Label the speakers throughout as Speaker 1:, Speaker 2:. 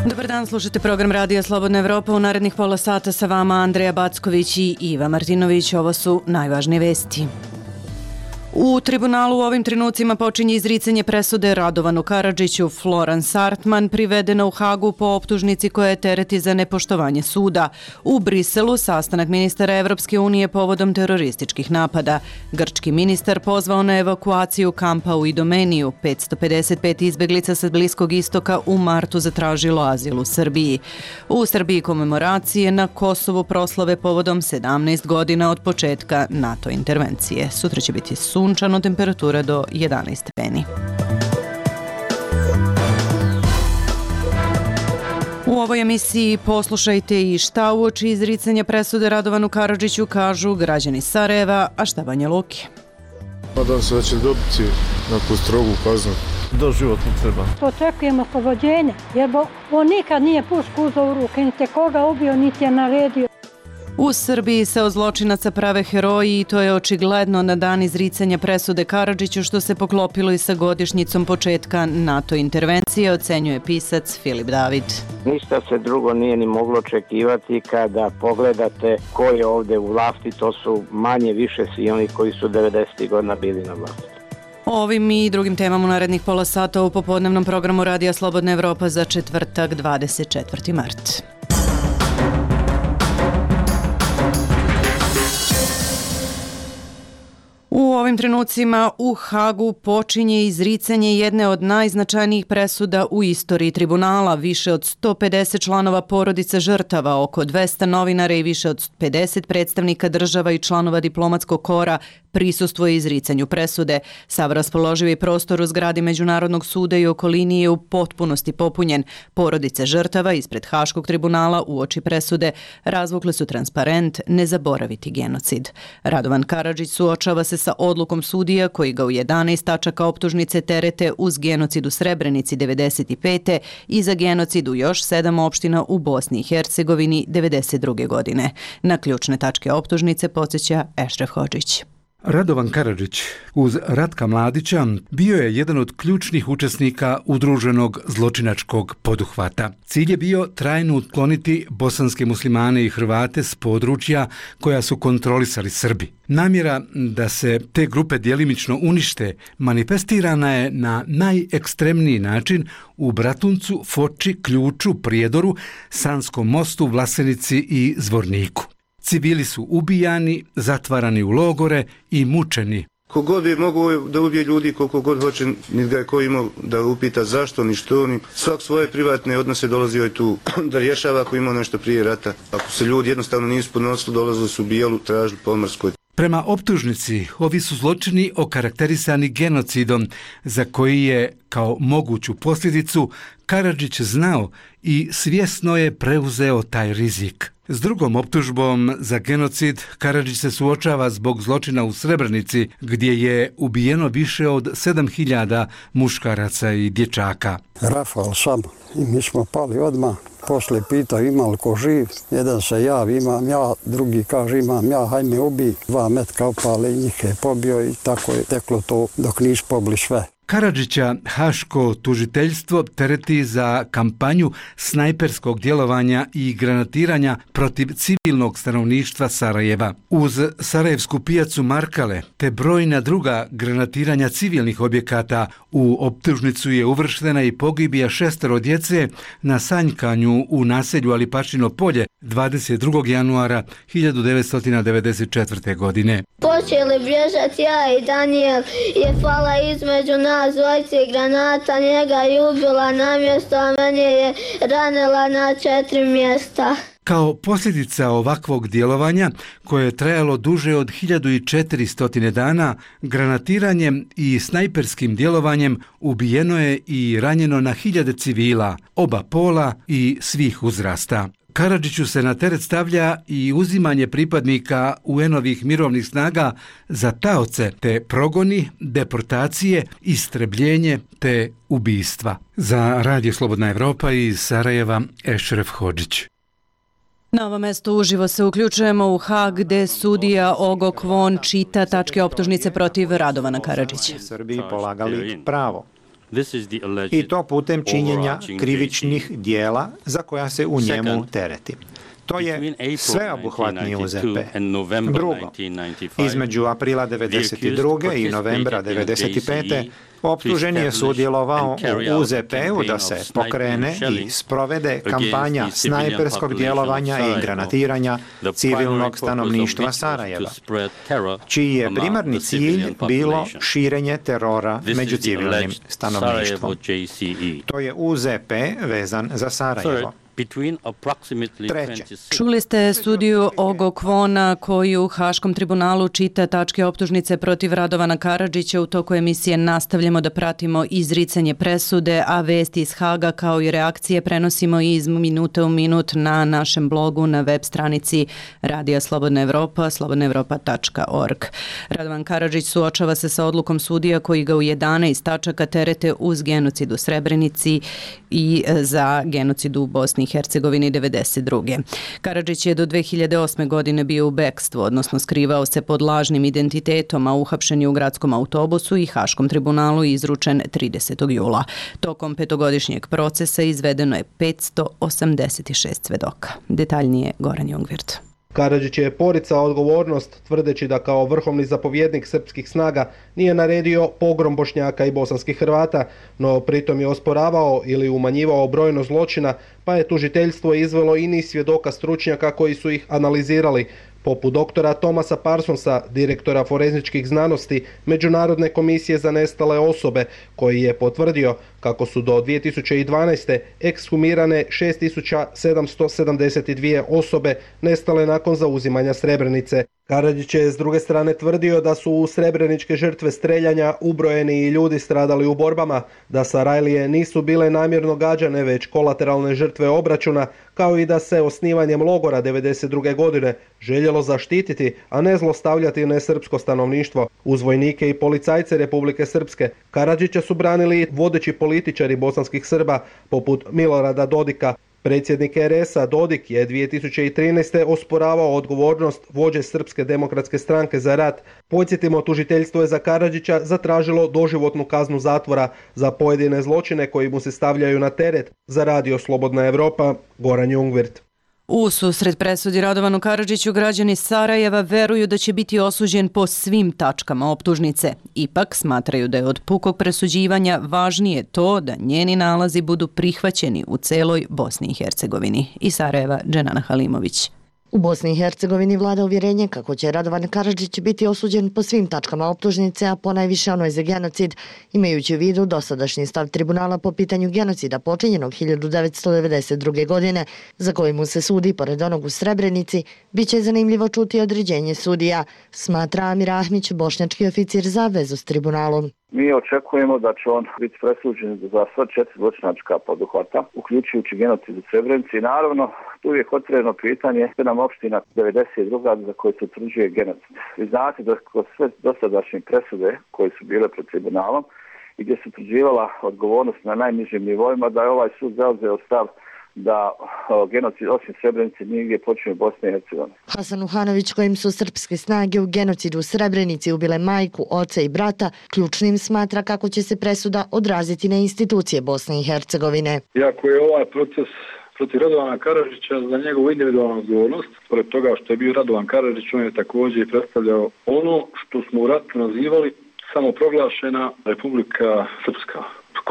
Speaker 1: Dobar dan, slušate program Radija Slobodna Evropa. U narednih pola sata sa vama Andreja Backović i Iva Martinović. Ovo su najvažnije vesti. U tribunalu u ovim trenucima počinje izricanje presude Radovanu Karadžiću. Florence Artman privedena u Hagu po optužnici koja je tereti za nepoštovanje suda. U Briselu sastanak ministara Evropske unije povodom terorističkih napada. Grčki ministar pozvao na evakuaciju kampa u Idomeniju. 555 izbeglica sa Bliskog istoka u martu zatražilo azil u Srbiji. U Srbiji komemoracije, na Kosovu proslave povodom 17 godina od početka NATO intervencije. Sutra će biti sunčano, temperatura do 11 stepeni. U ovoj emisiji poslušajte i šta uoči izricanja presude Radovanu Karadžiću kažu građani Sarajeva, a šta Banja Luke.
Speaker 2: Nadam se da će dobiti neku strogu kaznu.
Speaker 3: Doživotno treba.
Speaker 4: Očekujemo oslobođenje, jer on nikad nije pušku uzeo u ruke, niti koga ubio, niti je naredio.
Speaker 1: U Srbiji se od zločinaca prave heroji i to je očigledno na dan izricanja presude Karadžiću, što se poklopilo i sa godišnjicom početka NATO intervencije, ocenjuje pisac Filip David.
Speaker 5: Ništa se drugo nije ni moglo očekivati kada pogledate ko je ovde u vlasti, to su manje više svi oni koji su 90. godina bili na vlasti.
Speaker 1: O ovim i drugim temama u narednih pola sata u popodnevnom programu Radija Slobodna Evropa za četvrtak 24. mart. U ovim trenucima u Hagu počinje izricanje jedne od najznačajnijih presuda u istoriji tribunala. Više od 150 članova porodica žrtava, oko 200 novinara i više od 50 predstavnika država i članova diplomatskog kora prisustvuje izricanju presude. Sav raspoloživi prostor u zgradi Međunarodnog suda i okolini je u potpunosti popunjen. Porodice žrtava ispred Haškog tribunala uoči presude razvukle su transparent "Ne zaboraviti genocid". Radovan Karadžić suočava se sa odlukom sudija koji ga u 11 tačaka optužnice terete uz genocid u Srebrenici 95. i za genocid u još 7 opština u Bosni i Hercegovini 92. godine. Na ključne tačke optužnice podsjeća Ešref Hodžić.
Speaker 6: Radovan Karadžić uz Ratka Mladića bio je jedan od ključnih učesnika udruženog zločinačkog poduhvata. Cilj je bio trajno ukloniti bosanske muslimane i Hrvate s područja koja su kontrolisali Srbi. Namjera da se te grupe djelimično unište manifestirana je na najekstremniji način u Bratuncu, Foči, Ključu, Prijedoru, Sanskom mostu, Vlasenici i Zvorniku. Civili su ubijani, zatvarani u logore i mučeni.
Speaker 7: Kogod je mogu da ubije ljudi koliko god hoće, niti ga je ko imao da upita zašto, ni što, ni svak svoje privatne odnose dolazio je tu da rješava ako imao nešto prije rata. Ako se ljudi jednostavno nisu podnosili, dolazili su ubijali, tražili po Morskoj.
Speaker 6: Prema optužnici, ovi su zločini okarakterisani genocidom za koji je kao moguću posljedicu Karadžić znao i svjesno je preuzeo taj rizik. S drugom optužbom za genocid Karadžić se suočava zbog zločina u Srebrenici, gdje je ubijeno više od 7000 muškaraca i dječaka.
Speaker 8: Rafal sam i mi smo pali odmah. Poslije pitao ima li ko živ, jedan se javi, imam ja, drugi kaže imam ja, haj me ubij. 2 metka opale i njih je pobio i tako je teklo to dok nisu pobili sve.
Speaker 6: Karadžića Haško tužiteljstvo tereti za kampanju snajperskog djelovanja i granatiranja protiv civilnog stanovništva Sarajeva. Uz Sarajevsku pijacu Markale te brojna druga granatiranja civilnih objekata u optužnicu je uvrštena i pogibija 6 djece na sanjkanju u naselju Alipašino polje 22. januara 1994. godine.
Speaker 9: Počeli bježati ja i Daniel je pala između nas dvojice granata, njega je ubila na mjesto, a mene je ranila na 4 mjesta.
Speaker 6: Kao posljedica ovakvog djelovanja, koje je trajalo duže od 1400 dana, granatiranjem i snajperskim djelovanjem ubijeno je i ranjeno na 1000 civila, oba pola i svih uzrasta. Karadžiću se na teret stavlja i uzimanje pripadnika UN-ovih mirovnih snaga za taoce, te progoni, deportacije, istrebljenje te ubistva. Za Radio Slobodna Evropa iz Sarajeva, Ešref Hodžić.
Speaker 1: Na ovo mesto uživo se uključujemo u Hag, gde sudija Ogo Kvon čita tačke optužnice protiv Radovana Karadžića.
Speaker 10: Srbiji polagali pravo.
Speaker 3: i to putem činjenja krivičnih dijela za koja se u njemu tereti. To je sveobuhvatni UZP. Drugo, između aprila 1992. i novembra 1995. optužen je sudjelovao u UZP-u da se pokrene i sprovede kampanja snajperskog djelovanja i granatiranja civilnog stanovništva Sarajeva, čiji je primarni cilj bilo širenje terora među civilnim stanovništvom. To je UZP vezan za Sarajevo. Treće.
Speaker 1: Čuli ste studiju Ogo Kvona koju u Haškom tribunalu čita tačke optužnice protiv Radovana Karadžića. U toku emisije nastavljamo da pratimo izricanje presude, a vesti iz Haga kao i reakcije prenosimo iz minute u minut na našem blogu na web stranici Radija Slobodna Evropa, slobodnaevropa.org. Radovan Karadžić suočava se sa odlukom sudija koji ga u 11 tačaka terete uz genocid u Srebrenici i za genocid u Bosni i Hercegovini 1992. Karadžić je do 2008. godine bio u bekstvu, odnosno skrivao se pod lažnim identitetom, a uhapšen je u gradskom autobusu i Haškom tribunalu izručen 30. jula. Tokom petogodišnjeg procesa izvedeno je 586 svedoka. Detaljnije Goran Jungwirth.
Speaker 10: Karadžić je poricao odgovornost tvrdeći da kao vrhovni zapovjednik srpskih snaga nije naredio pogrom Bošnjaka i bosanskih Hrvata, no pritom je osporavao ili umanjivao brojnost zločina, pa je tužiteljstvo izvelo i niz svjedoka stručnjaka koji su ih analizirali, poput doktora Thomasa Parsonsa, direktora forenzičkih znanosti Međunarodne komisije za nestale osobe, koji je potvrdio kako su do 2012. ekshumirane 6772 osobe nestale nakon zauzimanja Srebrenice. Karadžić je s druge strane tvrdio da su u srebreničke žrtve streljanja ubrojeni i ljudi stradali u borbama, da Sarajlije nisu bile namjerno gađane već kolateralne žrtve obračuna, kao i da se osnivanjem logora 1992. godine željelo zaštititi, a ne zlostavljati nesrpsko stanovništvo. Uz vojnike i policajce Republike Srpske Karadžića su branili vodeći političari bosanskih Srba poput Milorada Dodika. Predsjednik RS-a Dodik je 2013. osporavao odgovornost vođe Srpske demokratske stranke za rat. Podsjetimo, tužiteljstvo je za Karadžića zatražilo doživotnu kaznu zatvora za pojedine zločine koji mu se stavljaju na teret. Za Radio Slobodna Evropa, Goran Jungwirth.
Speaker 1: U susret presudi Radovanu Karadžiću građani Sarajeva veruju da će biti osuđen po svim tačkama optužnice. Ipak smatraju da je od pukog presuđivanja važnije to da njeni nalazi budu prihvaćeni u celoj Bosni i Hercegovini. Iz Sarajeva, Dženana Halimović.
Speaker 11: U Bosni i Hercegovini vlada uvjerenje kako će Radovan Karadžić biti osuđen po svim tačkama optužnice, a ponajviše onoj za genocid, imajući u vidu dosadašnji stav tribunala po pitanju genocida počinjenog 1992. godine, za koji mu se sudi pored onog u Srebrenici. Biće zanimljivo čuti određenje sudija, smatra Amir Ahmić, bošnjački oficir za vezu s tribunalom.
Speaker 12: Mi očekujemo da će on biti presuđen za sva 4 zločinačka poduhvata, uključujući genocid u Srebrenici. I naravno, tu je otvoreno pitanje nam opština 92. za koje se utvrđuje genocid. Vi znate da kroz sve dosadašnje presude koje su bile pred tribunalom i gdje se utvrđivala odgovornost na najnižim nivoima, da je ovaj sud zauzeo stav da genocid osim Srebrenice nigdje počinje u Bosni i Hercegovini.
Speaker 11: Hasan Uhanović, kojim su srpske snage u genocidu u Srebrenici ubile majku, oca i brata, ključnim smatra kako će se presuda odraziti na institucije Bosne i Hercegovine.
Speaker 13: Iako je ovaj proces protiv Radovana Karadžića za njegovu individualnu odgovornost, pored toga što je bio Radovan Karadžić, on je također predstavljao ono što smo u ratu nazivali samoproglašena Republika Srpska.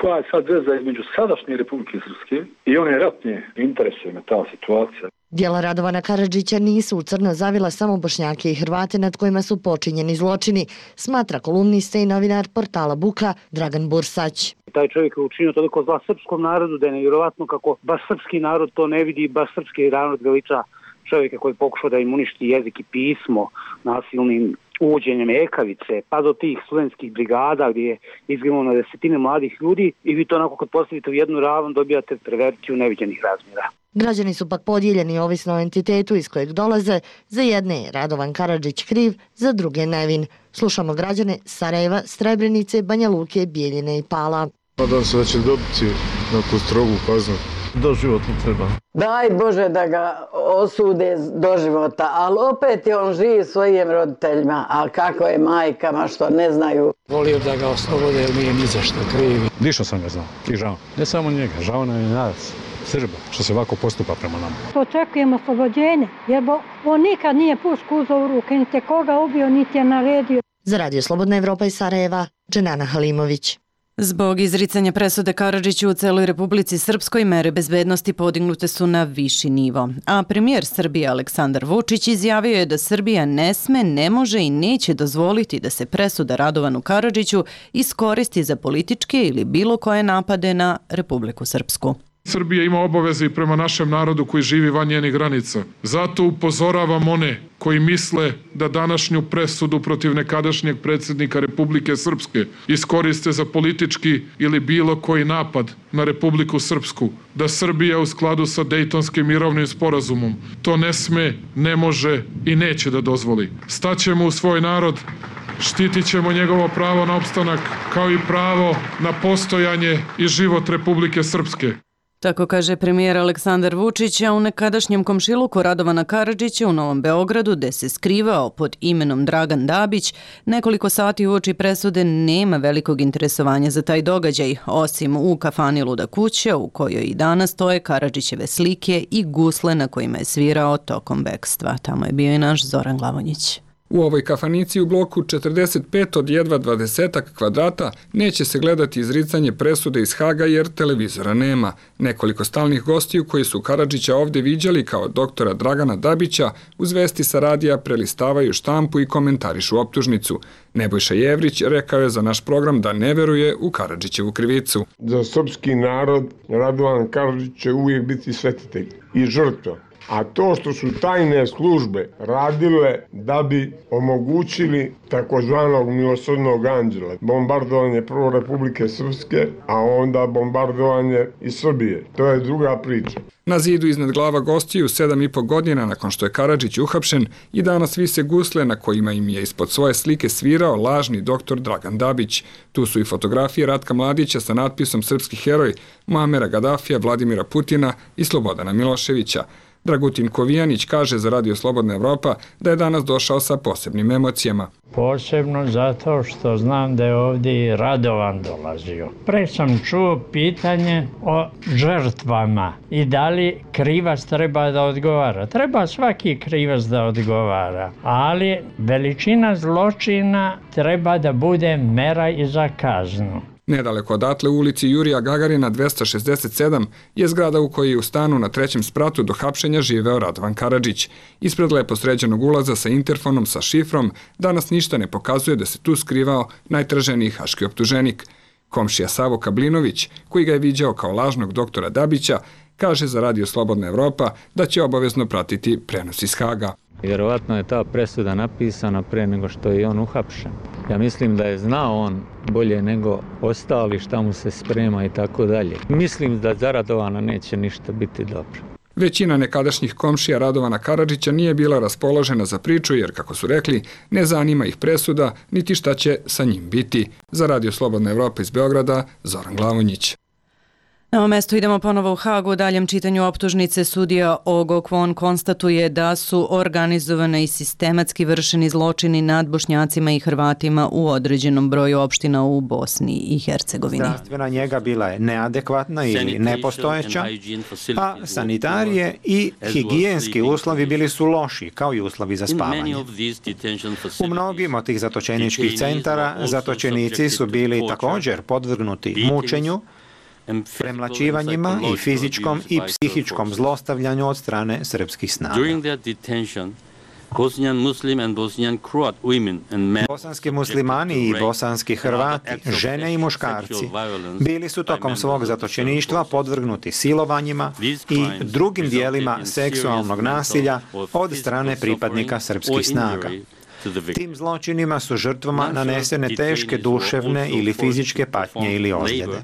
Speaker 13: Koja je sad veza između sadašnje Republike Srpske i one ratne, interesuje me ta situacija.
Speaker 11: Djela Radovana Karadžića nisu u crno zavila samo Bošnjake i Hrvate nad kojima su počinjeni zločini, smatra kolumnista i novinar portala Buka Dragan Bursać.
Speaker 14: Taj čovjek je učinio toliko zla srpskom narodu da je nevjerovatno kako baš srpski narod to ne vidi, baš srpski narod veliča čovjeka koji pokušao da im uništi jezik i pismo nasilnim uvođenjem ekavice, pa do tih studentskih brigada gdje je izginulo na desetine mladih ljudi i vi to onako kad postavite u jednu ravan dobijate perverziju neviđenih razmjera.
Speaker 11: Građani su pak podijeljeni ovisno o entitetu iz kojeg dolaze, za jedne je Radovan Karadžić kriv, za druge nevin. Slušamo građane Sarajeva, Srebrenice, Banja Luke, Bijeljine i Pala.
Speaker 2: Nadam se da će dobiti neku strogu kaznu.
Speaker 15: Doživotno treba.
Speaker 16: Daj Bože da ga osude do života, ali opet je on živ svojim roditeljima, a kako je majkama što ne znaju.
Speaker 15: Volio da ga oslobode jer nije ni za što krivi. Dišao sam ga znao i žao. Ne samo njega, žao nam je nas, Srba, što se ovako postupa prema nama.
Speaker 4: Očekujemo oslobođenje, jer on nikad nije pušku uzeo u ruke, niti koga ubio, niti je naredio.
Speaker 11: Za Radio Slobodna Evropa iz Sarajeva, Dženana Halimović.
Speaker 1: Zbog izricanja presude Karadžiću u celoj Republici Srpskoj mere bezbednosti podignute su na viši nivo. A premijer Srbije Aleksandar Vučić izjavio je da Srbija ne sme, ne može i neće dozvoliti da se presuda Radovanu Karadžiću iskoristi za političke ili bilo koje napade na Republiku Srpsku.
Speaker 17: Srbija ima obaveze i prema našem narodu koji živi van njenih granica. Zato upozoravam one koji misle da današnju presudu protiv nekadašnjeg predsjednika Republike Srpske iskoriste za politički ili bilo koji napad na Republiku Srpsku, da Srbija u skladu sa Dejtonskim mirovnim sporazumom to ne sme, ne može i neće da dozvoli. Staćemo u svoj narod, štitit ćemo njegovo pravo na opstanak kao i pravo na postojanje i život Republike Srpske.
Speaker 1: Tako kaže premijer Aleksandar Vučić, a u nekadašnjem komšiluku Radovana Karadžića u Novom Beogradu, gde se skrivao pod imenom Dragan Dabić, nekoliko sati uoči presude nema velikog interesovanja za taj događaj, osim u kafani Luda kuća, u kojoj i danas stoje Karadžićeve slike i gusle na kojima je svirao tokom bekstva. Tamo je bio i naš Zoran Glavonjić.
Speaker 18: U ovoj kafanici u bloku 45 od jedva 20 kvadrata neće se gledati izricanje presude iz Haga jer televizora nema. Nekoliko stalnih gostiju koji su Karadžića ovdje viđali kao doktora Dragana Dabića uz vesti sa radija prelistavaju štampu i komentarišu optužnicu. Nebojša Jevrić rekao je za naš program da ne veruje u Karadžićevu krivicu.
Speaker 19: Za srpski narod Radovan Karadžić će uvijek biti svetitelj i žrtva. A to što su tajne službe radile da bi omogućili takozvanog milosrdnog anđela, bombardovanje prvo Republike Srpske, a onda bombardovanje i Srbije. To je druga priča.
Speaker 18: Na zidu iznad glava gostiju 7,5 godina nakon što je Karadžić uhapšen i danas vise gusle na kojima im je ispod svoje slike svirao lažni doktor Dragan Dabić. Tu su i fotografije Ratka Mladića sa natpisom Srpski heroj, Muamera Gadafija, Vladimira Putina i Slobodana Miloševića. Dragutin Kovijanić kaže za Radio Slobodna Evropa da je danas došao sa posebnim emocijama.
Speaker 20: Posebno zato što znam da je ovdje i Radovan dolazio. Pre sam čuo pitanje o žrtvama i da li krivac treba da odgovara. Treba svaki krivac da odgovara, ali veličina zločina treba da bude mera i za kaznu.
Speaker 18: Nedaleko odatle u ulici Jurija Gagarina 267 je zgrada u kojoj je u stanu na 3. spratu do hapšenja živeo Radovan Karadžić. Ispred lepo sređenog ulaza sa interfonom sa šifrom danas ništa ne pokazuje da se tu skrivao najtraženiji haški optuženik. Komšija Savo Kablinović, koji ga je viđao kao lažnog doktora Dabića, kaže za Radio Slobodna Evropa da će obavezno pratiti prenos iz Haga.
Speaker 21: Vjerovatno je ta presuda napisana pre nego što je on uhapšen. Ja mislim da je znao on bolje nego ostali šta mu se sprema i tako dalje. Mislim da za Radovana neće ništa biti dobro.
Speaker 18: Većina nekadašnjih komšija Radovana Karadžića nije bila raspoložena za priču jer, kako su rekli, ne zanima ih presuda niti šta će sa njim biti. Za Radio Slobodna Evropa iz Beograda, Zoran Glavonjić.
Speaker 1: Na ovom mestu idemo ponovo u Hagu. U daljem čitanju optužnice sudija Ogo Kwon konstatuje da su organizovane i sistematski vršeni zločini nad Bošnjacima i Hrvatima u određenom broju opština u Bosni i Hercegovini.
Speaker 3: Zdravstvena njega bila je neadekvatna ili nepostojeća, a sanitarije i higijenski uslovi bili su loši, kao i uslovi za spavanje. U mnogim od tih zatočeničkih centara zatočenici su bili također podvrgnuti mučenju, premlaćivanjima i fizičkom i psihičkom zlostavljanju od strane srpskih snaga. Bosanski muslimani i bosanski Hrvati, žene i muškarci, bili su tokom svog zatočeništva podvrgnuti silovanjima i drugim dijelima seksualnog nasilja od strane pripadnika srpskih snaga. Tim zločinima su žrtvama nanesene teške duševne ili fizičke patnje ili ozljede.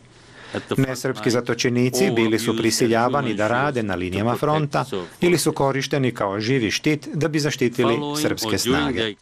Speaker 3: Nesrpski zatočenici bili su prisiljavani da rade na linijama fronta ili su korišteni kao živi štit da bi zaštitili srpske snage.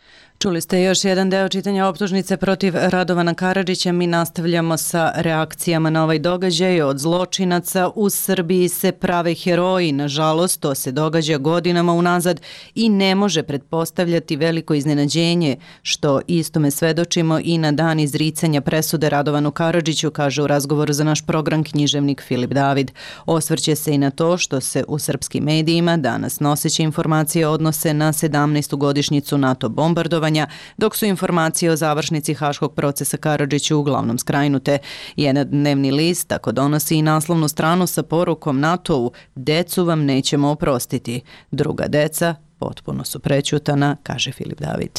Speaker 1: Čuli ste još jedan deo čitanja optužnice protiv Radovana Karadžića. Mi nastavljamo sa reakcijama na ovaj događaj. Od zločinaca u Srbiji se prave heroji. Nažalost, to se događa godinama unazad i ne može pretpostavljati veliko iznenađenje, što istome svedočimo i na dan izricanja presude Radovanu Karadžiću, kaže u razgovoru za naš program književnik Filip David. Osvrće se i na to što se u srpskim medijima danas noseće informacije odnose na 17. godišnjicu NATO bombardovanja, dok su informacije o završnici haškog procesa Karadžiću uglavnom skrajnute. Jedan dnevni list tako donosi i naslovnu stranu sa porukom NATO-u: decu vam nećemo oprostiti. Druga deca potpuno su prećutana, kaže Filip David.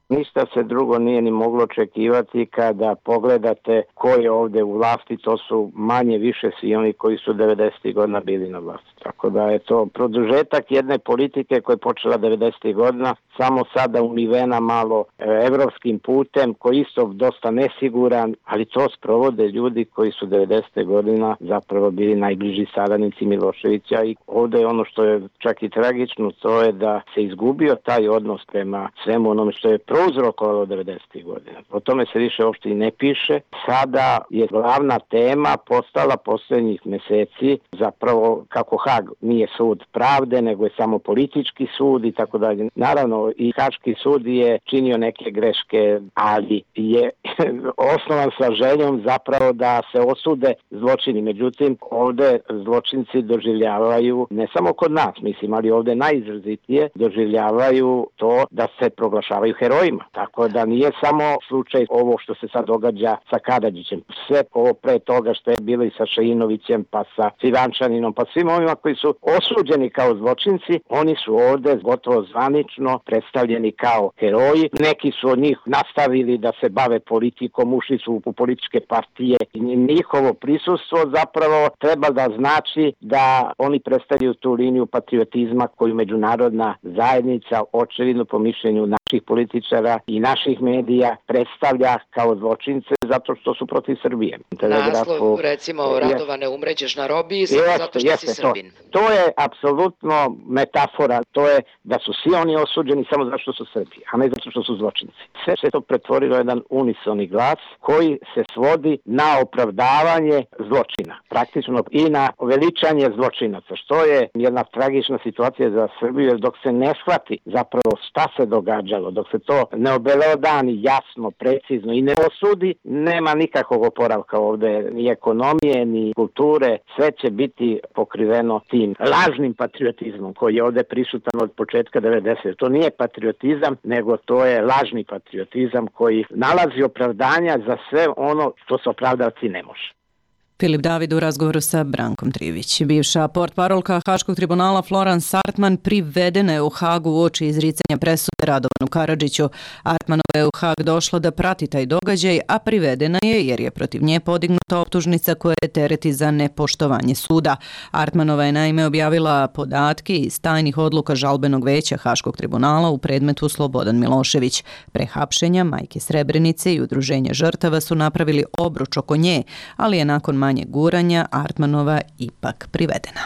Speaker 5: Ništa se drugo nije ni moglo očekivati kada pogledate ko je ovde u vlasti, to su manje više svi oni koji su 90. godina bili na vlasti. Tako da je to produžetak jedne politike koja je počela 90. godina, samo sada umivena malo evropskim putem, koji isto dosta nesiguran, ali to sprovode ljudi koji su 90. godina zapravo bili najbliži saradnici Miloševića i ovde je ono što je čak i tragično, to je da se izgubio taj odnos prema svemu onome što je prouzrokovalo 90. godina. O tome se više uopšte i ne piše. Sada je glavna tema postala posljednjih meseci zapravo kako Hag nije sud pravde, nego je samo politički sud i tako dalje. Naravno, i Haški sud je činio neke greške, ali je osnovan sa željom zapravo da se osude zločini. Međutim, ovde zločinci doživljavaju, ne samo kod nas, mislim, ali ovde najizrazitije doživljavaju to da se proglašavaju herojima. Tako da nije samo slučaj ovo što se sad događa sa Karadžićem. Sve ovo pre toga što je bilo i sa Šainovićem, pa sa Civančaninom, pa svim ovima koji su osuđeni kao zločinci, oni su ovde gotovo zvanično predstavljeni kao heroji. Neki su od njih nastavili da se bave politikom, ušli su u političke partije. Njihovo prisustvo zapravo treba da znači da oni predstavljaju tu liniju patriotizma koju međunarodna zajednica, očevidno po mišljenju naših političara i naših medija, predstavlja kao zločince zato što su protiv Srbije.
Speaker 22: Naslov, recimo, Radovane, umrećeš na robiji zato što si Srbin.
Speaker 5: To je apsolutno metafora, to je da su svi oni osuđeni samo zato što su Srbi, a ne zato što su zločinci. Sve se to pretvorilo jedan unisoni glas koji se svodi na opravdavanje zločina, praktično i na veličanje zločinaca, što je jedna tragična situacija za Srbiju, jer dok se ne shvati zapravo šta se događalo, dok se to ne obelodani jasno, precizno i ne osudi, nema nikakvog oporavka ovde, ni ekonomije, ni kulture, sve će biti pokriveno tim lažnim patriotizmom koji je ovde prisutan od početka 90. To nije patriotizam, nego to je lažni patriotizam koji nalazi opravdanja za sve ono što se opravdavati ne može.
Speaker 1: Filip David u razgovoru sa Brankom Trivić. Bivša portparolka Haškog tribunala Florence Artman privedena je u Hagu uoči izricanja presude Radovanu Karadžiću. Artmanova je u Hag došla da prati taj događaj, a privedena je jer je protiv nje podignuta optužnica koja je tereti za nepoštovanje suda. Artmanova je naime objavila podatke iz tajnih odluka žalbenog veća Haškog tribunala u predmetu Slobodan Milošević. Pre hapšenja majke Srebrenice i udruženja žrtava su napravili obruč oko nje, ali je nakon manje guranja Artmanova ipak privedena.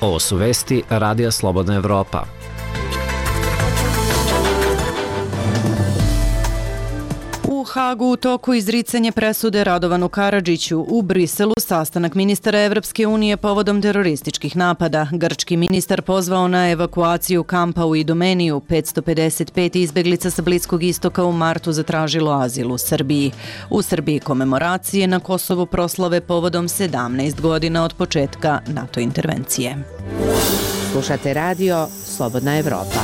Speaker 23: Ovo su vesti Radija Slobodna Evropa.
Speaker 1: U Hagu u toku izricanje presude Radovanu Karadžiću, u Briselu sastanak ministara Evropske unije povodom terorističkih napada. Grčki ministar pozvao na evakuaciju kampa u Idomeniju. 555 izbeglica sa Bliskog istoka u martu zatražilo azil u Srbiji. U Srbiji komemoracije, na Kosovu proslave povodom 17 godina od početka NATO intervencije.
Speaker 24: Slušate radio Slobodna Evropa.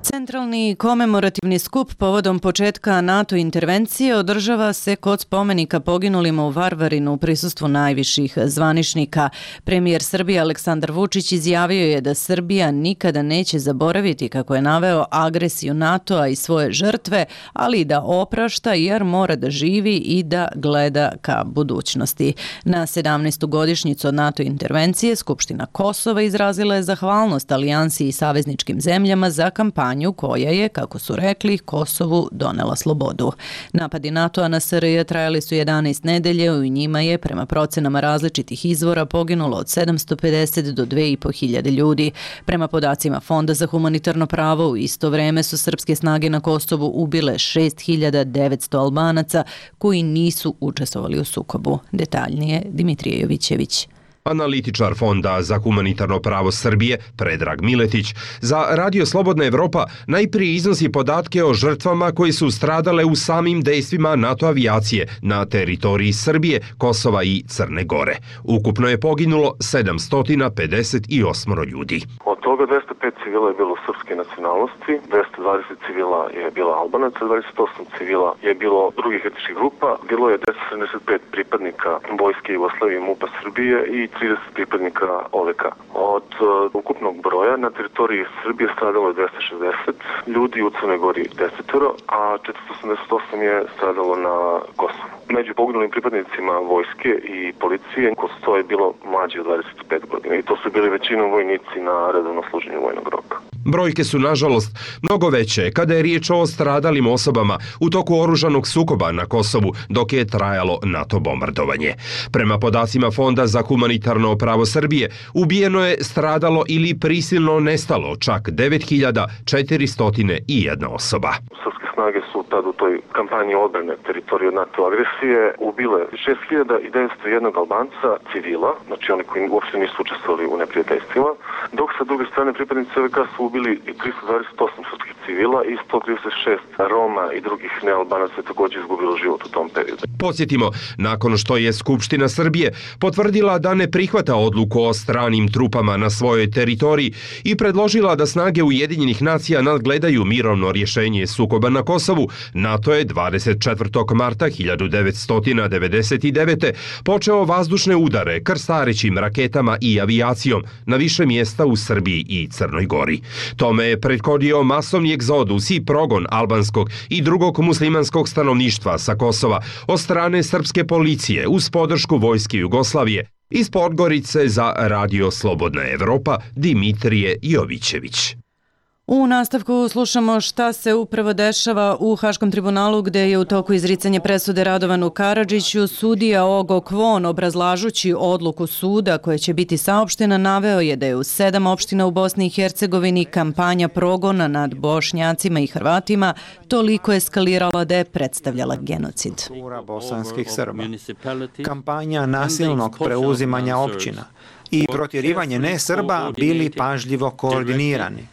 Speaker 1: Centralni komemorativni skup povodom početka NATO intervencije održava se kod spomenika poginulima u Varvarinu u prisustvu najviših zvaničnika. Premijer Srbije Aleksandar Vučić izjavio je da Srbija nikada neće zaboraviti, kako je naveo, agresiju NATO-a i svoje žrtve, ali i da oprašta jer mora da živi i da gleda ka budućnosti. Na 17. godišnjicu od NATO intervencije Skupština Kosova izrazila je zahvalnost alijansi i savezničkim zemljama za kampanju kampanju koja je, kako su rekli, Kosovu donela slobodu. Napadi NATO-a na SRJ trajali su 11 nedelje, u njima je, prema procenama različitih izvora, poginulo od 750 do 2500 ljudi. Prema podacima Fonda za humanitarno pravo, u isto vreme su srpske snage na Kosovu ubile 6900 Albanaca koji nisu učestvovali u sukobu. Detaljnije Dimitrije Jovićević.
Speaker 6: Analitičar Fonda za humanitarno pravo Srbije, Predrag Miletić, za Radio Slobodna Evropa najprije iznosi podatke o žrtvama koji su stradale u samim dejstvima NATO avijacije na teritoriji Srbije, Kosova i Crne Gore. Ukupno je poginulo 758 ljudi.
Speaker 7: Od toga 205 civila je bilo srpske nacionalnosti, 220 civila je bilo Albanaca, 28 civila je bilo drugih etničkih grupa, bilo je 275 pripadnika Vojske Jugoslavije i MUP-a Srbije i 30 pripadnika OVK. Od ukupnog broja na teritoriji Srbije stradalo je 260 ljudi, u Crnoj Gori 10, a 488 je stradalo na Kosovu. Među poginulim pripadnicima vojske i policije Kosovo je bilo mlađe od 25 godina i to su bili većinom vojnici na redovnom služenju vojnog roka.
Speaker 6: Brojke su, nažalost, mnogo veće kada je riječ o stradalim osobama u toku oružanog sukoba na Kosovu dok je trajalo NATO bombardovanje. Prema podacima Fonda za humanitarno pravo Srbije, ubijeno je, stradalo ili prisilno nestalo čak 9401 osoba.
Speaker 7: Srpske snage su tad u toj kampanji odbrane teritorije od NATO agresije ubile 6901 Albanca civila, znači oni koji uopšte nisu učestvovali u neprijateljstvima, dok sa druge strane pripadnici OVK su ubili 328 srpskih civila i 136 Roma i drugih nealbanaca je također izgubilo život u tom periodu.
Speaker 6: Podsjetimo, nakon što je Skupština Srbije potvrdila da ne prihvata odluku o stranim trupama na svojoj teritoriji i predložila da snage Ujedinjenih nacija nadgledaju mirovno rješenje sukoba na Kosovu, NATO je 24. marta 1999. počeo vazdušne udare krstarećim raketama i avijacijom na više mjesta u Srbiji i Crnoj Gori. Tome je prethodio masovni egzodus i progon albanskog i drugog muslimanskog stanovništva sa Kosova od strane srpske policije uz podršku vojske Jugoslavije. Iz Podgorice za Radio Slobodna Evropa, Dimitrije Jovićević.
Speaker 1: U nastavku slušamo šta se upravo dešava u Haškom tribunalu gdje je u toku izricanje presude Radovanu Karadžiću. Sudija Ogo Kvon, obrazlažući odluku suda koja će biti saopštena, naveo je da je u 7 opština u Bosni i Hercegovini kampanja progona nad Bošnjacima i Hrvatima toliko eskalirala da je predstavljala genocid.
Speaker 3: Bosanskih Srba, kampanja nasilnog preuzimanja općina i protjerivanje ne-Srba bili pažljivo koordinirani.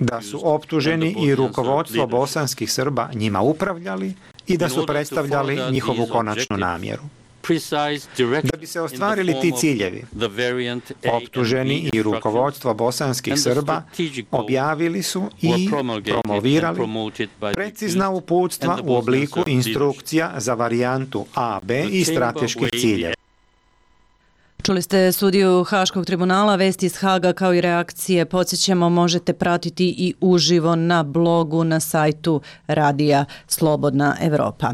Speaker 3: Da su optuženi i rukovodstvo bosanskih Srba njima upravljali i da su predstavljali njihovu konačnu namjeru. Da bi se ostvarili ti ciljevi, optuženi i rukovodstvo bosanskih Srba objavili su i promovirali precizna uputstva u obliku instrukcija za varijantu A, B i strateških ciljeva.
Speaker 1: Čuli ste sudiju Haškog tribunala, vesti iz Haga kao i reakcije. Podsjećamo, možete pratiti i uživo na blogu na sajtu Radija Slobodna Evropa.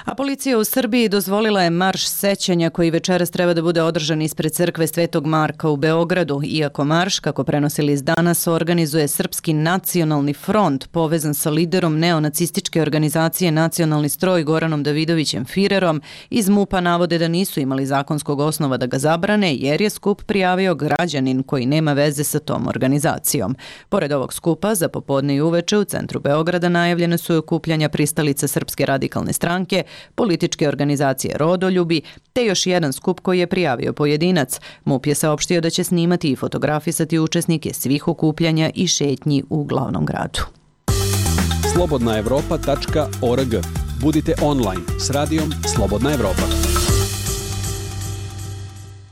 Speaker 1: A policija u Srbiji dozvolila je marš sećanja koji večeras treba da bude održan ispred crkve Svetog Marka u Beogradu, iako marš, kako prenosili iz danas, organizuje Srpski nacionalni front povezan sa liderom neonacističke organizacije Nacionalni stroj Goranom Davidovićem Firerom. Iz MUP-a navode da nisu imali zakonskog osnova da ga zabrane jer je skup prijavio građanin koji nema veze sa tom organizacijom. Pored ovog skupa, za popodne i uveče u centru Beograda najavljene su okupljanja pristalica Srpske radikalne stranke, političke organizacije Rodoljubi, te još jedan skup koji je prijavio pojedinac. MUP je saopštio da će snimati i fotografisati učesnike svih okupljanja i šetnji u glavnom gradu.
Speaker 8: slobodnaevropa.org. Budite online s radijom Slobodna Evropa.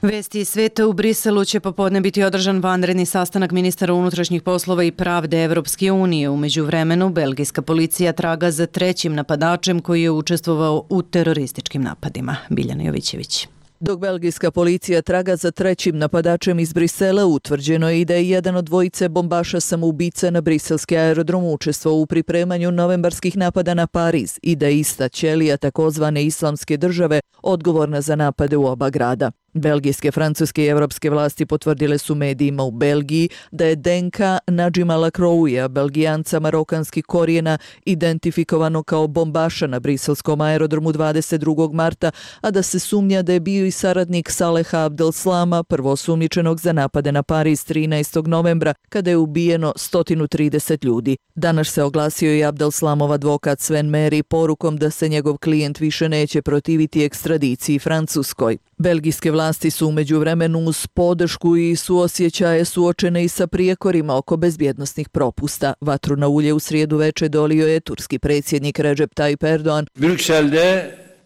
Speaker 1: Vesti iz sveta. U Briselu će popodne biti održan vanredni sastanak ministara unutrašnjih poslova i pravde Evropske unije. U međuvremenu, belgijska policija traga za trećim napadačem koji je učestvovao u terorističkim napadima. Biljana Jovićević.
Speaker 9: Dok belgijska policija traga za trećim napadačem iz Brisela, utvrđeno je i da je jedan od dvojice bombaša samoubica na briselski aerodrom učestvovao u pripremanju novembarskih napada na Pariz i da je ista ćelija takozvane islamske države odgovorna za napade u oba grada. Belgijske, francuske i evropske vlasti potvrdile su medijima u Belgiji da je DNK Nadžima Lacroixa, Belgijanca marokanskih korijena, identifikovano kao bombaša na briselskom aerodromu 22. marta, a da se sumnja da je bio i saradnik Saleha Abdelslama, prvosumnjičenog za napade na Pariz 13. novembra, kada je ubijeno 130 ljudi. Danas se oglasio i Abdelslamov advokat Sven Meri porukom da se njegov klijent više neće protiviti ekstradiciji Francuskoj. Belgijske vlasti su u međuvremenu uz podršku i suosjećaje suočene i sa prijekorima oko bezbjednosnih propusta. Vatru na ulje u srijedu veče dolio je turski predsjednik Recep Tayyip Erdogan.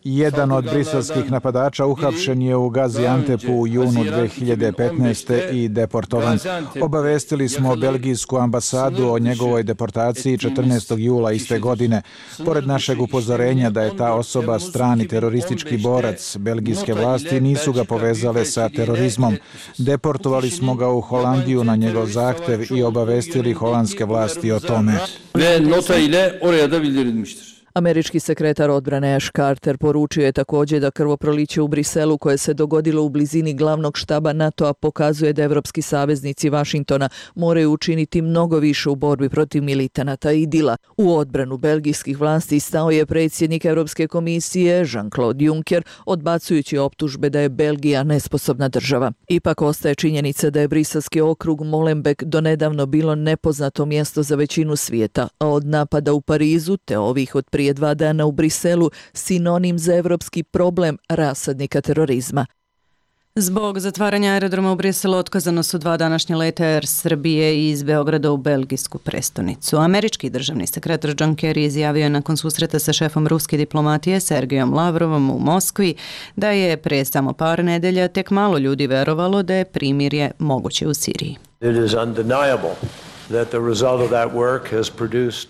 Speaker 10: Jedan od briselskih napadača uhapšen je u Gaziantepu u junu 2015. i deportovan. Obavestili smo belgijsku ambasadu o njegovoj deportaciji 14. jula iste godine. Pored našeg upozorenja da je ta osoba strani teroristički borac, belgijske vlasti nisu ga povezale sa terorizmom. Deportovali smo ga u Holandiju na njegov zahtev i obavestili holandske vlasti o tome.
Speaker 9: Američki sekretar odbrane Ash Carter poručio je također da krvoproliće u Briselu koje se dogodilo u blizini glavnog štaba NATO-a pokazuje da evropski saveznici Vašingtona moraju učiniti mnogo više u borbi protiv militanata IDIL-a. U odbranu belgijskih vlasti stao je predsjednik Europske komisije Jean-Claude Juncker, odbacujući optužbe da je Belgija nesposobna država. Ipak ostaje činjenica da je briselski okrug Molenbeek donedavno bilo nepoznato mjesto za većinu svijeta, a od napada u Parizu te ovih od prije 2 dana u Briselu sinonim za evropski problem rasadnika terorizma.
Speaker 1: Zbog zatvaranja aerodroma u Briselu otkazano su 2 današnje leta Air Srbije iz Beograda u belgijsku prestonicu. Američki državni sekretar John Kerry izjavio je nakon susreta sa šefom ruske diplomatije Sergejom Lavrovom u Moskvi da je pre samo par nedelja tek malo ljudi verovalo da je primirje moguće u Siriji.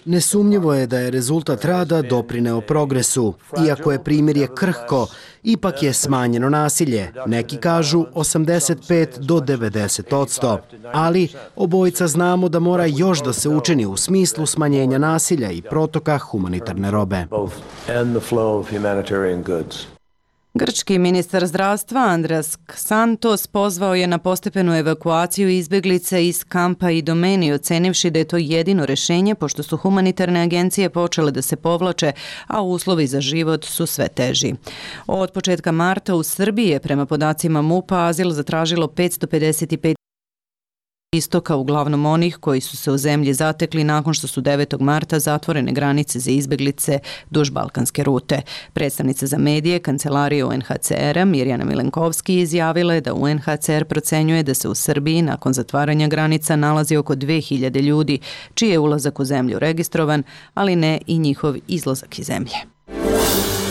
Speaker 12: Nesumnjivo je da je rezultat rada doprineo progresu. Iako je primirje krhko, ipak je smanjeno nasilje. Neki kažu 85 do 90%. Ali obojica znamo da mora još da se učini u smislu smanjenja nasilja i protoka humanitarne robe.
Speaker 1: Grčki ministar zdravstva Andreas Xantos pozvao je na postepenu evakuaciju izbjeglica iz kampa Idomeni, ocenivši da je to jedino rješenje pošto su humanitarne agencije počele da se povlače, a uslovi za život su sve teži. Od početka marta u Srbiji je prema podacima MUP-a azil zatražilo 555 istoka, uglavnom onih koji su se u zemlji zatekli nakon što su 9. marta zatvorene granice za izbjeglice duž balkanske rute. Predstavnica za medije Kancelarije UNHCR-a Mirjana Milenkovski izjavila je da UNHCR procenjuje da se u Srbiji nakon zatvaranja granica nalazi oko 2000 ljudi, čiji je ulazak u zemlju registrovan, ali ne i njihov izlazak iz zemlje.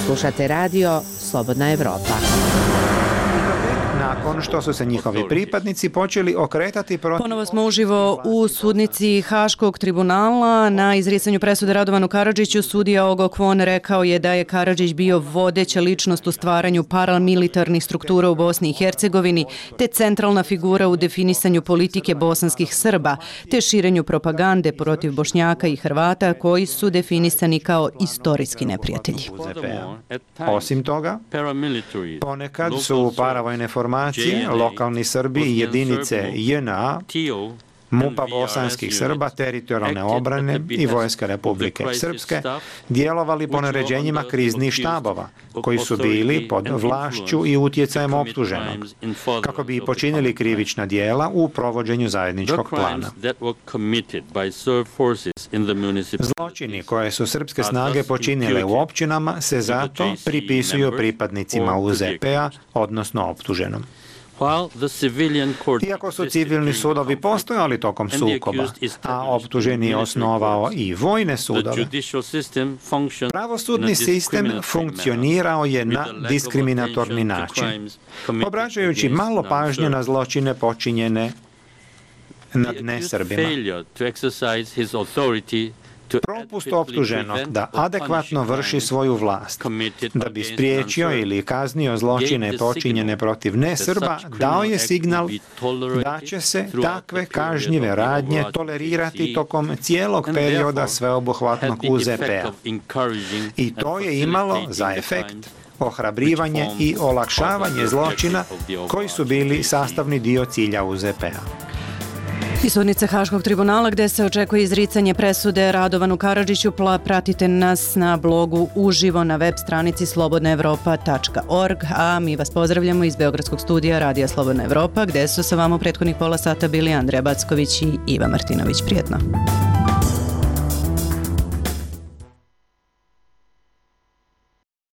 Speaker 24: Slušate radio Slobodna Evropa.
Speaker 3: Nakon što su se njihovi pripadnici počeli okretati protiv...
Speaker 1: Ponovo smo uživo u sudnici Haškog tribunala. Na izricanju presude Radovanu Karadžiću sudija Ogo Kwon rekao je da je Karadžić bio vodeća ličnost u stvaranju paramilitarnih struktura u Bosni i Hercegovini, te centralna figura u definisanju politike bosanskih Srba, te širenju propagande protiv Bošnjaka i Hrvata koji su definisani kao istorijski neprijatelji.
Speaker 3: Osim toga, ponekad su paravojne formacije, lokalni Srbi i jedinice JNA, MUP-a bosanskih Srba, teritorijalne obrane i Vojska Republike Srpske djelovali po naređenjima kriznih štabova, koji su bili pod vlašću i utjecajem optuženog, kako bi počinili krivična dijela u provođenju zajedničkog plana. Zločini koje su srpske snage počinile u općinama se zato pripisuju pripadnicima UZP-a, odnosno optuženom. Iako su civilni sudovi postojali tokom sukoba, a optuženi je osnovao i vojne sudove, pravosudni sistem funkcionirao je na diskriminatorni način, obraćajući malo pažnje na zločine počinjene nad nesrbima. Propust optuženog da adekvatno vrši svoju vlast, da bi spriječio ili kaznio zločine počinjene protiv nesrba, dao je signal da će se takve kažnjive radnje tolerirati tokom cijelog perioda sveobuhvatnog UZP-a. I to je imalo za efekt ohrabrivanje i olakšavanje zločina koji su bili sastavni dio cilja UZP-a.
Speaker 1: Iz sudnice Haškog tribunala gde se očekuje izricanje presude Radovanu Karadžiću, pratite nas na blogu uživo na web stranici slobodnaevropa.org, a mi vas pozdravljamo iz Beogradskog studija Radija Slobodna Evropa, gde su sa vama u prethodnih pola sata bili Andreja Backović i Iva Martinović. Prijetno.